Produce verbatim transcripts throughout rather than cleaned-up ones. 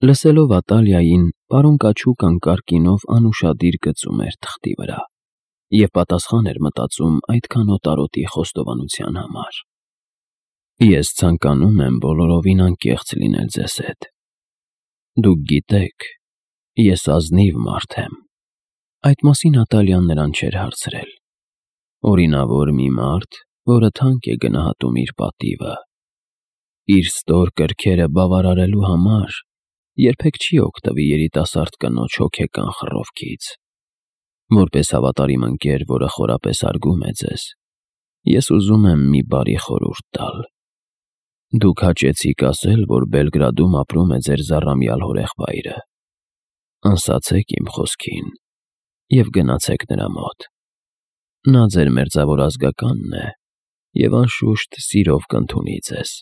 Լսելով Ատալիային, պարոն Կաչուկան կարկինով անուշադիր գծում էր թղթի վրա և պատասխան էր մտածում այդքան օտարոտի խոստովանության համար։ Ես ցանկանում եմ բոլորովին անկեղծ լինել ձեզ հետ։ Դուք գիտեք, ես ազնիվ մարդ եմ։ Այդ մասին Ատալիան նրան չէր հարցրել։ Օրինավոր մի մարդ, որը թանկ է գնահատում իր պատիվը։ Իր ստոր կրքերը բավարարելու համար երբեք չի օգտվի երիտասարդ կնոջ հոգեկան խռովքից։ Որպես հավատարիմ ընկեր, որը խորապես հարգում է ձեզ, ես ուզում եմ մի բարի խորհուրդ տալ։ Դուք հաճեցիք ասել, որ Բելգրադում ապրում է ձեր զառամյալ հորեղբայրը։ Անսացեք իմ խոսքին և գնացեք նրա մոտ։ Նա ձեր մերձավոր ազգականն է և անշուշտ սիրով կընդունի ձեզ։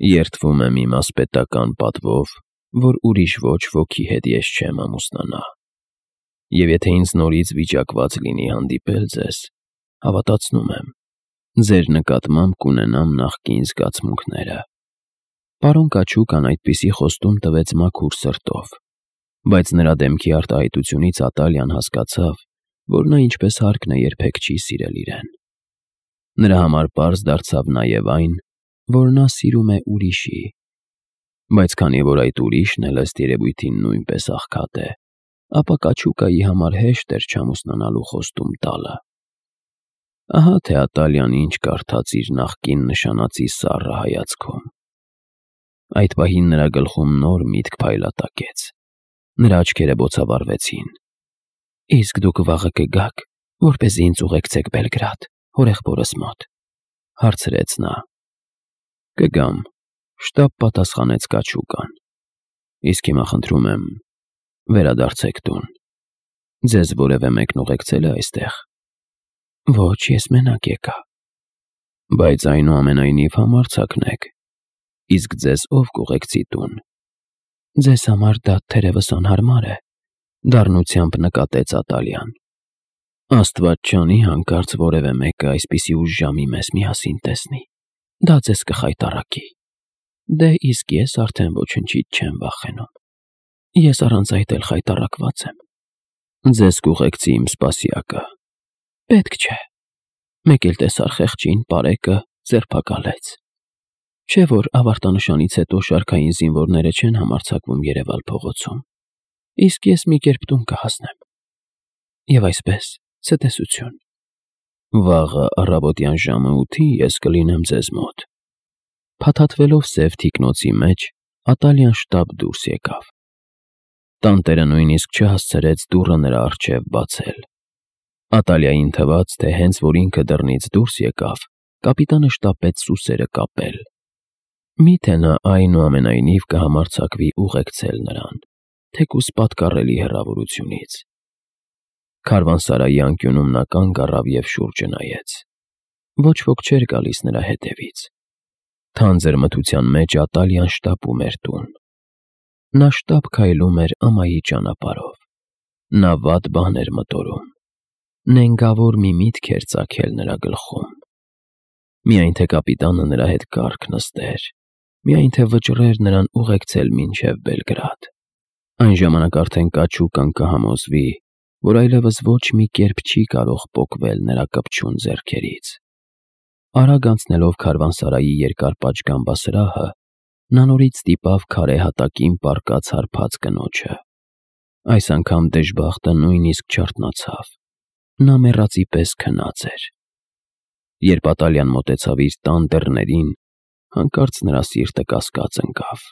Երդվում եմ իմ ասպետական պատվով, որ ուրիշ ոչ ոքի հետ ես չեմ ամուսնանա։ Եվ եթե ինձ նորից վիճակված լինի հանդիպել ձեզ, հավատացնում եմ, ձեր նկատմամբ կունենամ նախկին զգացմունքները։ Պարոն Կաչուկան այդպիսի խոստում տվեց մաքուր սրտով, բայց նրա դեմքի արտահայտությունից Ատալիան հասկացավ, որ նա ինչպես հարկն է երբեք չի սիրել իրեն։ Նրա համար պարզ դարձավ նաև այն, որ նա սիրում է ուրիշի, բայց քանի որ այդ ուրիշն էլ ըստ երևույթին նույնպես աղքատ է, ապա Կաչուկայի համար հեշտ էր չամուսնանալու խոստում տալը։ Ահա թե Ատալիան ինչ կարդաց իր նախկին նշանածի սառը հայացքում։ Այդ պահին նրա գլխում նոր միտք փայլատակեց։ Նրա աչքերը բոցավառվեցին։ Իսկ դուք վաղը կգաք, որպեսզի ինձ ուղեկցեք Բելգրադ, հորեղբորս մոտ, հարցրեց նա։ Կգամ, շտապ պատասխանեց Կաչուկան։ Իսկ հիմա խնդրում եմ, վերադարձեք տուն։ Ձեզ որևէ մեկն ուղեկցել է այստեղ։ Ոչ, ես մենակ եկա։ Բայց այնուամենայնիվ համարձակն եք։ Իսկ ձեզ ով կուղեկցի տուն։ Ձեզ համար դա թերևս անհարմար է, դառնությամբ նկատեց Ատալիան։ Աստված չանի հանկարծ որևէ մեկը այսպիսի ուշ ժամի մեզ միասին տեսնի, դա ձեզ կխայտառակի։ Դե իսկ ես արդեն ոչնչից չեմ վախենում։ Ես առանց այդ էլ խայտառակված եմ։ Ձեզ կուղեկցի իմ սպասյակը։ Պետք չէ։ Մեկ էլ տեսար խեղճին, պարեկը ձերբակալեց։ Չէ՞ որ ավարտանշանից հետո շարքային զինվորները չեն համարձակվում երևալ փողոցում։ Իսկ ես մի կերպ տուն կհասնեմ։ Եվ այսպես, ցտեսություն։ Վաղը առավոտյան ժամը ութին ես կլինեմ ձեզ մոտ։ Փաթաթվելով սև թիկնոցի մեջ, Ատալիան շտապ դուրս եկավ։ Տանտերը նույնիսկ չհասցրեց դուռը նրա առջև բացել։ Ատալիային թվաց, թե հենց որ ինքը դռնից դուրս եկավ, կապիտանը շտապեց սուսերը կապել։ Միթե նա այնուամենայնիվ կհամարձակվի ուղեկցել նրան, թեկուզ պատկառելի հեռավորությունից։ Քարվանսարայի անկյունում նա կանգ առավ և շուրջը նայեց։ Ոչ ոք չէր գալիս նրա հետևից։ Թանձր մթության մեջ Ատալիան շտապում էր տուն։ Նա շտապ քայլում էր ամայի ճանապարհով։ Նա վատ բան էր մտորում։ Նենգավոր մի միտք էր ծագել նրա գլխում։ Միայն թե կապիտանը նրա հետ կառք նստեր, միայն թե վճռեր նրան ուղեկցել մինչև Բելգրադ։ Այն ժամանակ արդեն Կաչուկան կհամոզվի, որ այլևս ոչ մի կերպ չի կարող պոկվել նրա կպչուն ձեռքերից։ Արագ անցնելով քարվանսարայի երկար պատշգամբասրահը, նա նորից ստիպավ քարե հատակին պառկած հարբած կնոջը։ Այս անգամ դժբախտը նույնիսկ չարթնացավ։ Նա մեռածի պես քնած էր։ Երբ Ատալիան մոտեցավ իր տան դռներին, հանկարծ նրա սիրտը կասկած ընկավ։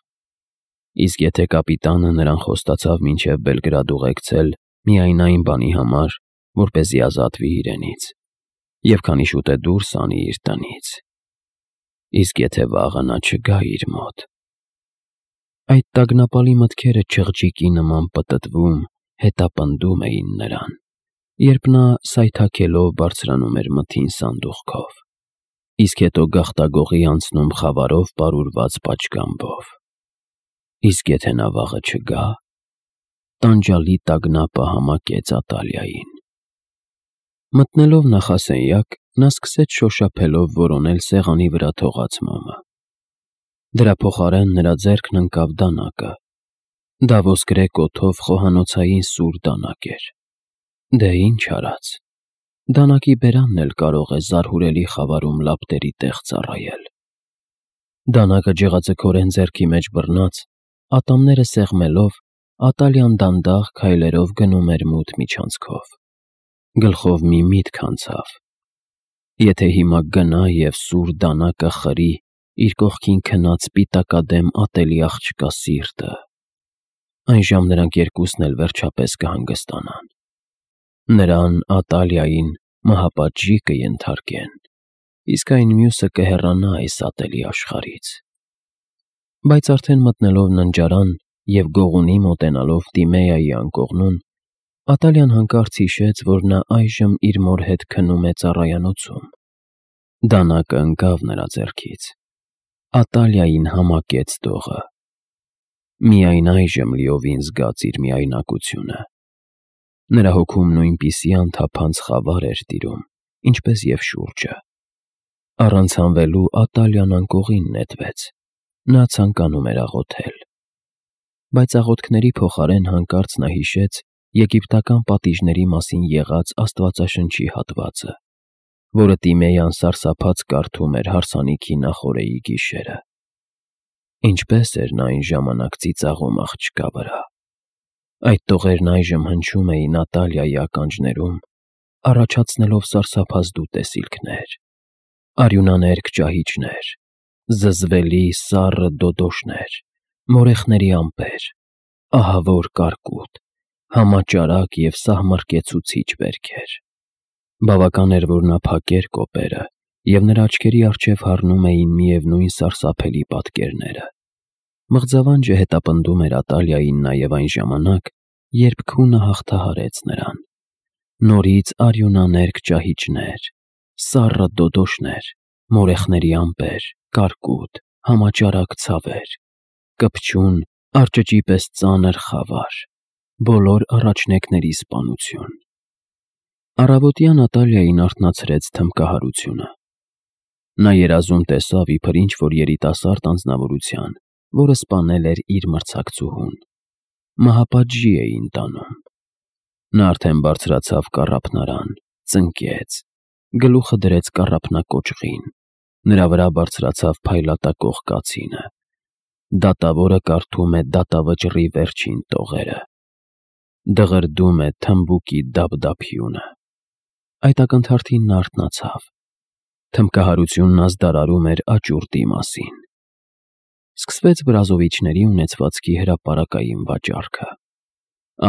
Իսկ եթե կապիտանը նրան խոստացավ մինչև Բելգրադ ուղեկցել միայն այն բանի համար, որպեսզի ազատվի իրենից, և քանի շուտ է դուրս անի իր տնից։ Իսկ եթե վաղը նա չգա իր մոտ։ Այդ տագնապալի մտքերը չղջիկի նման պտտվում, հետապնդում էին նրան, երբ նա սայթաքելով բարձրանում էր մթին սանդուղքով, իսկ հետո գաղտագողի անցնում խավարով պարուրված պատշգամբով։ Իսկ եթե նա վաղը չգա։ Տանջալի տագնապը համակեց Ատալիային։ Մտնելով նախասենյակ, նա սկսեց շոշափելով որոնել սեղանի վրա թողած մոմը։ Դրա փոխարեն նրա ձեռքն ընկավ դանակը, Դա ոսկրե կոթով խոհանոցային սուր դանակ էր։ Դե ինչ արած։ Դանակի բերանն էլ կարող է զարհուրելի խավարում լապտերի տեղ ծառայել։ Դանակը ջեղաձգորեն ձեռքի մեջ բռնած, ատամները սեղմելով, Ատալյան դանդաղ քայլերով գնում էր մութ միջանցքով։ Գլխով մի միտք անցավ. եթե հիմա գնա և սուր դանակը խրի իր կողքին քնած սպիտակադեմ ատելի աղջկա սիրտը, այն ժամ նրանք երկուսն էլ վերջապես կհանգստանան։ Նրան, Ատալիային, մահապատժի կենթարկեն, իսկ այն մյուսը կհեռանա այս ատելի աշխարհից։ Բայց արդեն մտնելով ննջարան և գողունի մոտենալով Տիմեայի անկողնուն, Ատալիան հանկարծ հիշեց, որ նա այժմ իր մոր հետ քնում է ծառայանոցում։ Դանակը ընկավ նրա ձեռքից։ Ատալիային համակեց դողը։ Միայն այժմ լիովին զգաց իր միայնակությունը։ Նրա հոգում նույնպիսի անթափանց խավար էր տիրում, ինչպես և շուրջը։ Առանց հանվելու Ատալիան անկողին նետվեց։ Նա ցանկանում էր աղոթել։ Բայց աղոթքների փոխարեն հանկարծ նա հիշեց եգիպտական պատիժների մասին եղած աստվածաշնչի հատվածը, որը Տիմեյան սարսափած կարդում էր հարսանիքի նախօրեի գիշերը։ Ինչպես էր նա այն ժամանակ ծիծաղում աղջկա վրա։ Այդ տողերն այժմ հնչում էին Ատալիայի ականջներում, առաջացնելով սարսափազդու տեսիլքներ, արյունաներկ ճահիճներ, զզվելի սառը դոդոշներ, մորեխների ամպեր, ահավոր կարկուտ, համաճարակ և սահմռկեցուցիչ վերքեր։ Բավական էր, որ նա փակեր կոպերը, և նրա աչքերի առջև հառնում էին միևնույն սարսափելի պատկերները։ Մղձավանջը հետապնդում էր Ատալիային նաև այն ժամանակ, երբ քունը հաղթահարեց նրան։ Նորից արյունաներկ ճահիճներ, սառը դոդոշներ, մորեխների ամպեր, կարկուտ, համաճարակ ցավեր, կպչուն, արճճի պես ծանր խավար, բոլոր առաջնեկների սպանություն։ Առավոտյան Ատալիային արթնացրեց թմբկահարությունը։ Նա երազում տեսավ իբր ինչ-որ երիտասարդ անձնավորության, որը սպանել էր իր մրցակցուհուն։ Մահապատժի էին տանում։ Նա արդեն բարձրացավ կառափնարան, ծնկեց, գլուխը դրեց կառափնակոճղին, նրա վրա բարձրացավ փայլատակող կացինը։ Դատավորը կարդում է դատավճռի վերջին տողերը։ Դղրդում է թմբուկի դափդափյունը։ Այդ ակնթարթին նա արթնացավ։ Թմբկահարությունն ազդարարում էր աճուրդի մասին։ Սկսվեց վրազովիչների ունեցվածքի հրապարակային վաճառքը։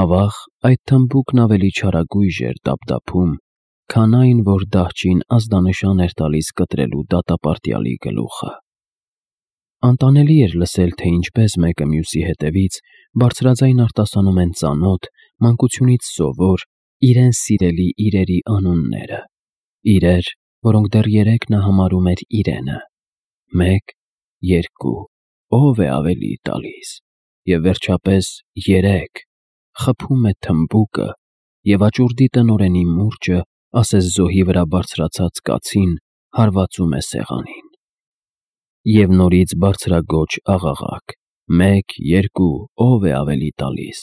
Ավաղ, այդ թմբուկն ավելի չարագույժ էր դափդափում, քան այն, որ դահճին ազդանշան էր տալիս կտրելու դատապարտյալի գլուխը։ Անտանելի էր լսել, թե ինչպես մեկը մյուսի հետևից բարձրաձայն արտասանում են ծանոթ, մանկությունից սովոր, իրեն սիրելի իրերի անունները, իրեր, որոնք դեռ երեկ նա համարում էր իրենը, մեկ, երկու, ով է ավելի տալիս, և վերջապես երեք, խփում է թմբուկը, և աճուրդի տնօրենի մուրճը, ասես զոհի վրա բարձրացած կացին, հարվածում է սեղանին։ Եվ նորից բարձրաձոչ աղաղակ. մեկ, երկու, ով է ավելի տալիս։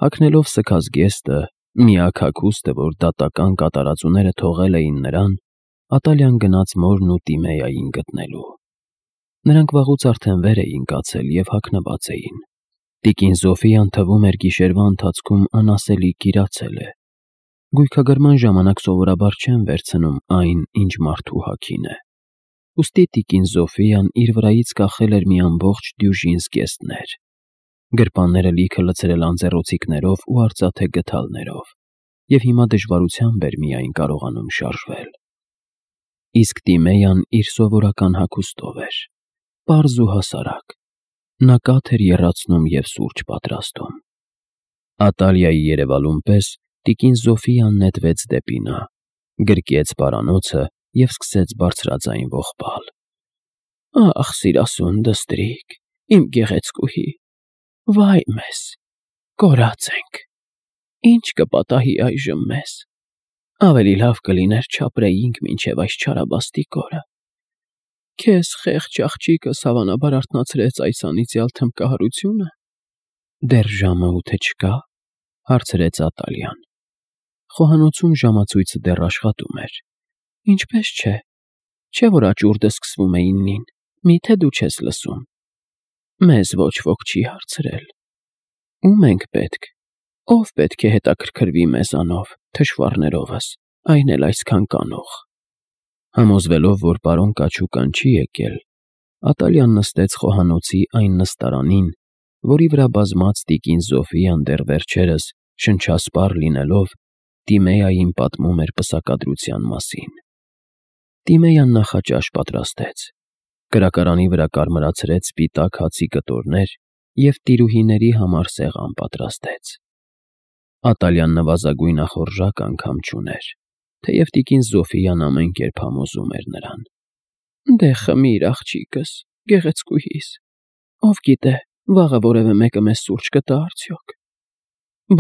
Հագնելով սգած գեստը, միակ հագուստը, որ դատական կատարածուները թողել էին նրան, Ատալիան գնաց մորն ու Տիմեային գտնելու։ Նրանք վաղուց արդեն վեր էին կացել և հագնված էին։ Տիկին Զոֆիան թվում էր գիշերվա ընթացքում անասելի կիրացել է։ Գույքագրման ժամանակ սովորաբար չեն վերցնում այն, ինչ մարդու հագին է։ Ուստի տիկին Զոֆիան իր վրայից կախել էր մի ամբողջ դյուժին զգեստներ, գրպանները լիքը լցրել անձեռոցիկներով ու արծաթե գդալներով, և հիմա դժվարությամբ էր միայն կարողանում շարժվել։ Իսկ Տիմեյան իր սովորական հագուստով էր, պարզ ու հասարակ։ Նա կաթ էր եռացնում և սուրճ պատրաստում։ Ատալիայի երևալուն պես տիկին Զոֆիան նետվեց դեպի նա, գրկեց պարանոցը և սկսեց բարձրաձայն ողբալ. «Ախ, սիրասուն դստրիկ, իմ գեղեցկուհի, վայ մեզ, կորած ենք, ի՞նչ կպատահի այժմ մեզ, ավելի լավ կլիներ չապրեինք մինչև այս չարաբաստիկ օրը։ Քեզ խեղճ աղջիկս հավանաբար արթնացրեց այս անիծյալ թմբկահարությո՞ւնը։ Դեռ ժամը ութը չկա՞, հարցրեց Ատալյան։ Խոհանոցում ժամացույցը դեռ աշխատում էր։ Ինչպես չէ, չէ՞ որ աճուրդը սկսվում է իննին, միթե դու չես լսում։ Մեզ ոչ ոք չի հարցրել։ Ո՞ւմ ենք պետք, ով պետք է հետաքրքրվի մեզանով, թշվառներովս, այն էլ այսքան կանող։ Համոզվելով, որ պարոն Կաչուկան չի եկել, Ատալյան նստեց խոհանոցի այն նստարանին, որի վրա բազմած տիկին Զոֆիան դեռ վերջերս, շնչասպառ լինելով, Տիմեային պատմում էր պսակադրության մասին։ Տիմեյան նախաճաշ պատրաստեց, կրակարանի վրա կարմրացրեց սպիտակ հացի կտորներ և տիրուհիների համար սեղան պատրաստեց։ Ատալյան նվազագույն ախորժակ անգամ չուներ, թեև տիկին Զոֆիան ամեն կերպ համոզում էր նրան։ Դե խմիր, աղջիկս, գեղեցկուհիս, ով գիտե, վաղը որևէ մեկը մեզ սուրճ կտա արդյոք։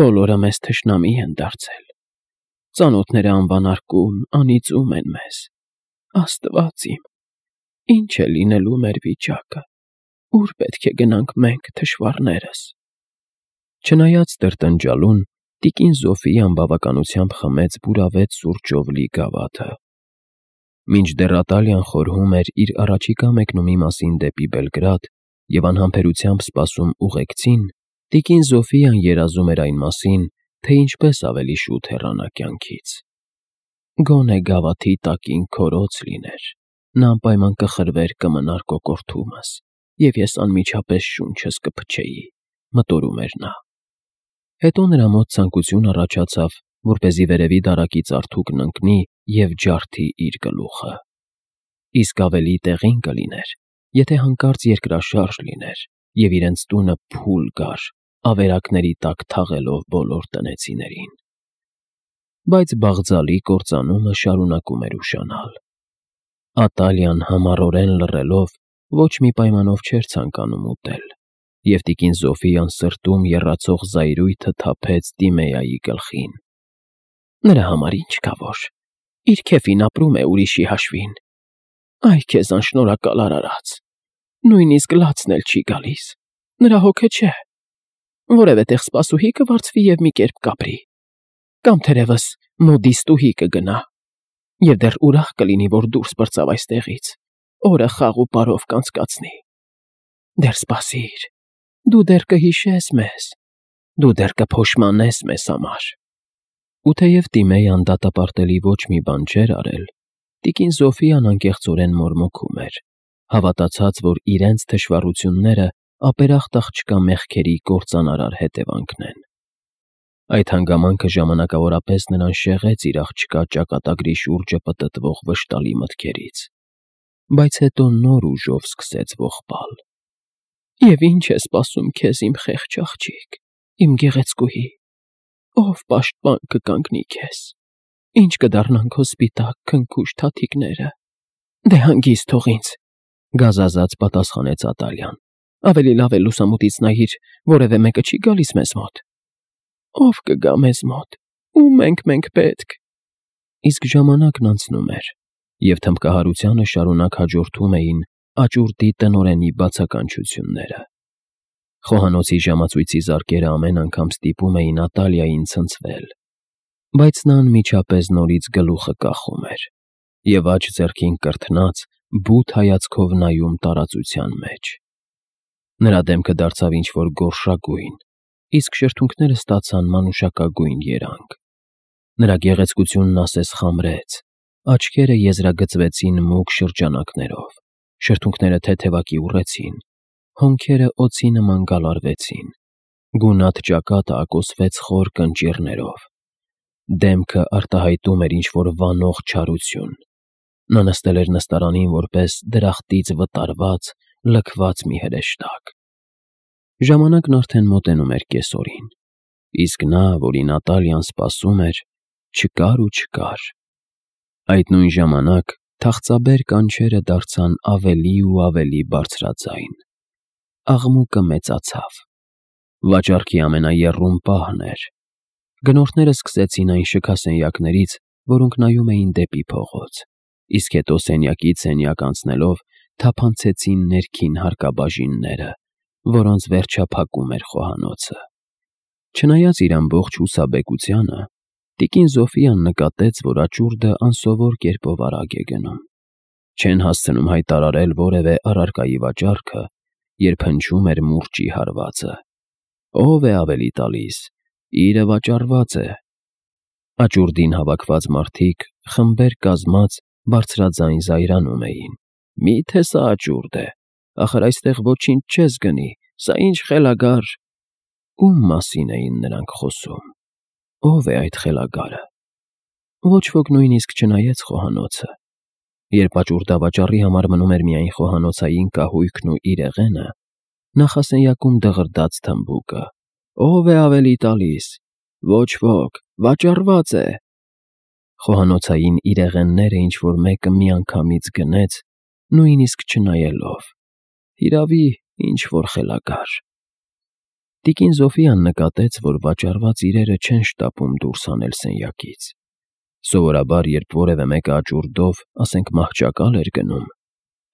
Բոլորը մեզ թշնամի են դարձել։ Ծանոթները անվանարկում, անիծում են մեզ։ Աստված իմ, ինչ է լինելու մեր վիճակը, ուր պետք է գնանք մենք թշվառներս։ Չնայած տրտնջալուն, տիկին Զոֆիան բավականությամբ խմեց բուրավետ սուրճով լի գավաթը։ Մինչդեռ Ատալյան խորհում էր իր առաջիկա մեկնումի մասին դեպի Բելգրադ և անհամբերությամբ սպասում ուղեկցին, տիկին Զոֆիան երազում էր այն մասին, թե ինչպես ավելի շուտ հեռանա կյանքից։ Գոնե գավաթի տակին քորոց լիներ, նա անպայման կխրվեր կմնար կոկորդումս, և ես անմիջապես շունչս կփչեի, մտորում էր նա։ Հետո նրա մոտ ցանկություն առաջացավ, որպեսզի վերևի դարակից արթուկն ընկնի և ջարդի իր գլուխը։ Իսկ ավելի տեղին կլիներ, եթե հանկարծ երկրաշարժ լիներ, և իրենց տունը փուլ գար, ավերակների տակ թաղելով բոլոր տնեցիներին։ Բայց բաղձալի կործանումը շարունակում էր ուշանալ։ Ատալյան համառորեն լռելով ոչ մի պայմանով չէր ցանկանում ուտել, և տիկին Զոֆիան սրտում եռացող զայրույթը թափեց Տիմեայի գլխին։ Նրա համար ինչ կա որ, իր քեֆին ապրում է ուրիշի հաշվին։ Այ քեզ անշնորհակալ արարած, նույնիսկ լացն էլ չի գալիս, նրա հոգը չէ։ Որևէ տեղ սպասուհի կվարձվի և մի կերպ կապրի, կամ թերևս մոդիստուհի կգնա, և դեռ ուրախ կլինի, որ դուրս պրծավ այստեղից, օրը խաղ ու պարով կանցկացնի։ Դեռ սպասիր, դու դեռ կհիշես մեզ, դու դեռ կփոշմանես մեզ համար։ Ու թեև Տիմեյան դատապարտելի ոչ մի բան չէր արել, տիկին Զոֆիան անկեղծորեն մորմոքում էր, հավատացած, որ իրենց թշվառությունները ապերախտ աղջկա մեղքերի կործանարար հետևանքն են։ Այդ հանգամանքը ժամանակավորապես նրան շեղեց իր աղջկա ճակատագրի շուրջը պտտվող վշտալի մտքերից, բայց հետո նոր ուժով սկսեց ողբալ։ Եվ ինչ է սպասում քեզ, իմ խեղճ աղջիկ, իմ գեղեցկուհի, ով պաշտպան կկանգնի քեզ, ինչ կդառնան քո սպիտակ քնքուշ թաթիկները։ Դե հանգիստ թող ինձ, գազազած պատասխանեց Ատալյան։ Ավելի լավ է լուսամուտից նայիր, որևէ մեկը չի գալիս մեզ մոտ։ Ով կգա մեզ մոտ, ում ենք մենք պետք։ Իսկ ժամանակն անցնում էր, և թմբկահարությանը շարունակ հաջորդում էին աճուրդի տնօրենի բացականչությունները։ Խոհանոցի ժամացույցի զարկերը ամեն անգամ ստիպում էին Ատալիային ցնցվել, բայց նա անմիջապես նորից գլուխը կախում էր և աջ ձեռքին կրթնած բութ հայացքով նայում տարածության մեջ։ Նրա դեմքը դարձավ ինչ-որ գորշագույն, իսկ շրթունքները ստացան մանուշակագույն երանգ։ Նրա գեղեցկությունն ասես խամրեց, աչքերը եզրագծվեցին մուգ շրջանակներով, շրթունքները թեթևակի ուռեցին, հոնքերը օձի նման գալարվեցին, գունատ ճակատը ակոսվեց խոր կնճիռներով։ Դեմքը արտահայտում էր ինչ-որ վանող չարություն։ Նա նստել էր նստարանին որպես դրախտից վտարված, լքված մի հրեշտակ։ Ժամանակն արդեն մոտենում էր կեսօրին, իսկ նա, որին Ատալյան սպասում էր, չկար ու չկար։ Այդ նույն ժամանակ թախծաբեր կանչերը դարձան ավելի ու ավելի բարձրաձայն։ Աղմուկը մեծացավ։ Վաճառքի ամենաեռում պահն էր։ Գնորդները սկսեցին այն շքասենյակներից, որոնք նայում էին դեպի փողոց, իսկ հետո սենյակից սենյակ անցնելով թափանցեցին ներքին հարկաբաժինները, որոնց վերջափակում էր խոհանոցը։ Չնայած իր ամբողջ հուսաբեկությանը, տիկին Զոֆիան նկատեց, որ աճուրդը անսովոր կերպով արագ է գնում։ Չեն հասցնում հայտարարել որևէ առարկայի վաճառքը, երբ հնչում էր մուրճի հարվածը։ Ով է ավելի տալիս, իրը վաճառված է։ Աճուրդին հավաքված մարդիկ խմբեր կազմած բարձրաձայն զայրանում էին։ Մի՞թե սա աճուրդ է, ախր այստեղ ոչինչ չես գնի, սա ինչ խելագար… Ում մասին էին նրանք խոսում։ Ո՞վ է այդ խելագարը։ Ոչ ոք նույնիսկ չնայեց խոհանոցը։ Երբ աճուրդավաճառի համար մնում էր միայն խոհանոցային կահույքն ու իրեղենը, նախասենյակում դղրդաց թմբուկը. «Ով է ավելի տալիս։ Ոչ ոք, վաճառված է»։ Խոհանոցային իրեղենները ինչ-որ մեկը միանգամից գնեց, նույնիսկ չնայելով։ Հիրավի, ինչ-որ խելագար։ Տիկին Զոֆիան նկատեց, որ վաճառված իրերը չեն շտապում դուրս հանել սենյակից։ Սովորաբար, երբ որևէ մեկը աճուրդով, ասենք մահճակալ էր գնում,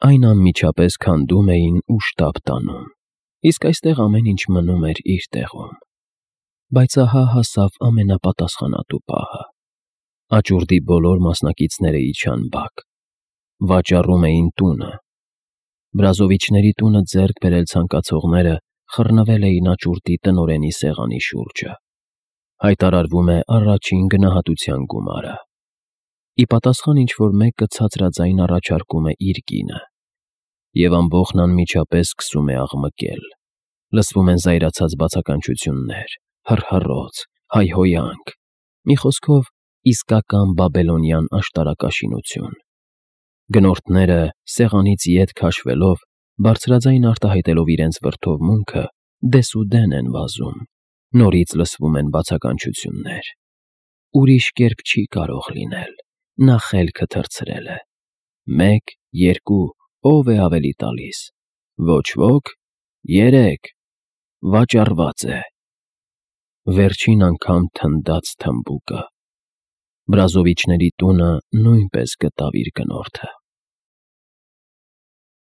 այն անմիջապես քանդում էին ու շտապ տանում, իսկ այստեղ ամեն ինչ մնում էր իր տեղում։ Բայց ահա հասավ ամենապատասխանատու պահը։ Աճուրդի բոլոր մասնակիցները իջան բակ։ Վաճառում էին տունը։ Բրազովիչների տունը ձեռք բերել ցանկացողները խռնվել էին աճուրդի տնօրենի սեղանի շուրջը։ Հայտարարվում է առաջին գնահատության գումարը։ Ի պատասխան ինչ-որ մեկը ցածրաձայն առաջարկում է իր կինը։ Եվ ամբոխն անմիջապես սկսում է աղմկել։ Լսվում են զայրացած բացականչություններ, հռհռոց, հայհոյանք։ Մի խոսքով, իսկական բաբելոնյան աշտարակաշինություն։ Գնորդները, սեղանից ետ քաշվելով, բարձրաձայն արտահայտելով իրենց վրդովմունքը, դեսուդեն են վազում։ Նորից լսվում են բացականչություններ։ Ուրիշ կերպ չի կարող լինել։ Նա խելքը թռցրել է։ Մեկ, երկու, ով է ավելի տալիս։ Ոչ ոք, երեք, վաճառված է։ Վերջին անգամ թնդաց թմբուկը։ Բրազովիչների տունը նույնպես գտավ իր գնորդը։